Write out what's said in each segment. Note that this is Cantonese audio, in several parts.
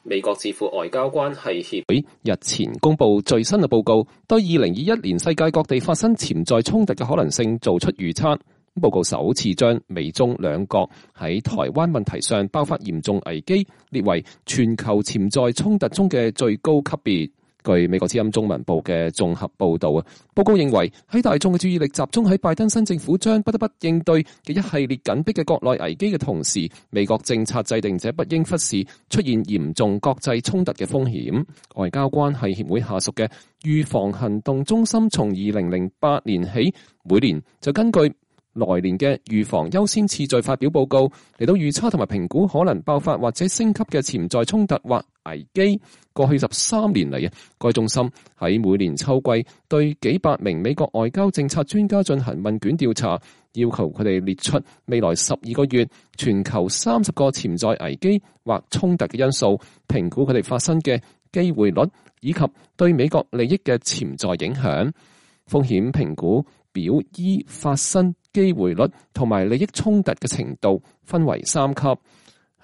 美國智庫外交關係協會日前公布最新嘅報告，對2021年世界各地發生潛在衝突嘅可能性做出預測。報告首次將美中兩國喺台灣問題上爆發嚴重危機列為全球潛在衝突中嘅最高級別。據美國之音中文部嘅綜合報道，報告認為喺大眾嘅注意力集中喺拜登新政府將不得不應對嘅一系列緊迫嘅國內危機嘅同時，美國政策制定者不應忽視出現嚴重國際衝突嘅風險。外交關係協會下屬嘅預防行動中心從2008年起，每年就根據來年嘅預防優先次序發表報告，嚟到預測同埋評估可能爆發或者升級嘅潛在衝突或危機。過去13年嚟，該中心喺每年秋季對幾百名美國外交政策專家進行問卷調查，要求佢哋列出未來12個月全球30個潛在危機或衝突嘅因素，評估佢哋發生嘅機會率以及對美國利益嘅潛在影響。風險評估表依發生機會率同埋利益衝突嘅程度分為3級。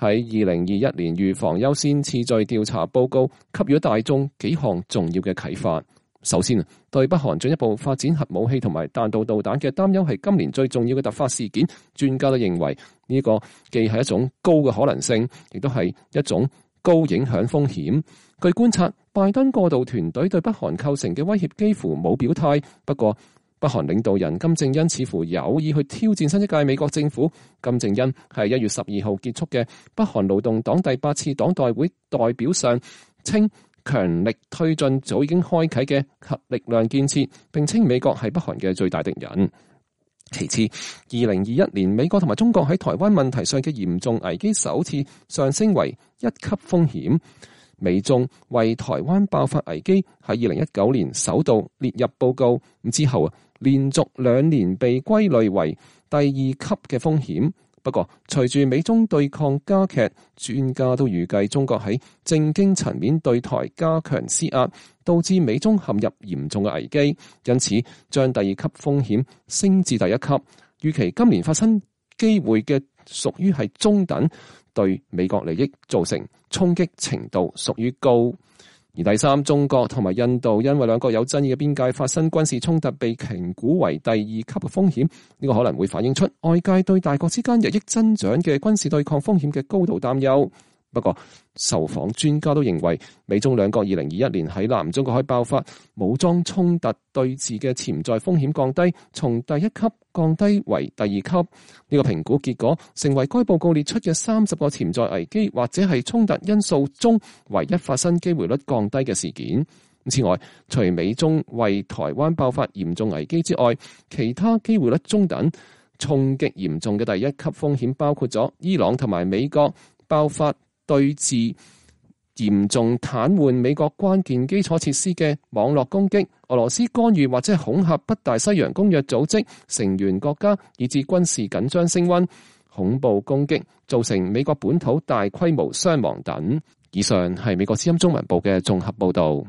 喺2021年預防優先次序調查報告給予大眾幾項重要嘅啟發。首先，對北韓進一步發展核武器同埋彈道導彈嘅擔憂係今年最重要嘅突發事件。專家都認為呢個既係一種高嘅可能性，亦都係一種高影響風險。據觀察，拜登過渡團隊對北韓構成嘅威脅幾乎冇表態，不過北韓領導人金正恩似乎有意去挑戰新一屆美國政府。金正恩係1月12號結束嘅北韓勞動黨第8次黨代會代表上稱，強力推進早已經開啟嘅核力量建設，並稱美國係北韓嘅最大敵人。其次，2021年美國同埋中國喺台灣問題上嘅嚴重危機首次上升為1級風險。美中為台灣爆發危機喺2019年首度列入報告，之後連續2年被歸類為第2級嘅風險。不過，隨住美中對抗加劇，專家都預計中國喺政經層面對台加強施壓，導致美中陷入嚴重嘅危機，因此將第2級風險升至第1級。預期今年發生機會嘅屬於係中等，對美國利益造成衝擊程度屬於高。而第三，中國同埋印度因為兩國有爭議嘅邊界發生軍事衝突，被評估為第2級嘅風險。呢個可能會反映出外界對大國之間日益增長嘅軍事對抗風險嘅高度擔憂。不過，受訪專家都認為，美中兩國2021年喺南中國海爆發武裝衝突對峙嘅潛在風險降低，從第1級降低為第2級。呢個評估結果成為該報告列出嘅30個潛在危機或者係衝突因素中唯一發生機會率降低嘅事件。此外，除美中為台灣爆發嚴重危機之外，其他機會率中等、衝擊嚴重嘅第1級風險包括咗伊朗同埋美國爆發對峙嚴重癱瘓美國關鍵基礎設施嘅網絡攻擊，俄羅斯干預或者恐嚇北大西洋公約組織成員國家，以致軍事緊張升溫，恐怖攻擊造成美國本土大規模傷亡等。以上係美國之音中文部嘅綜合報道。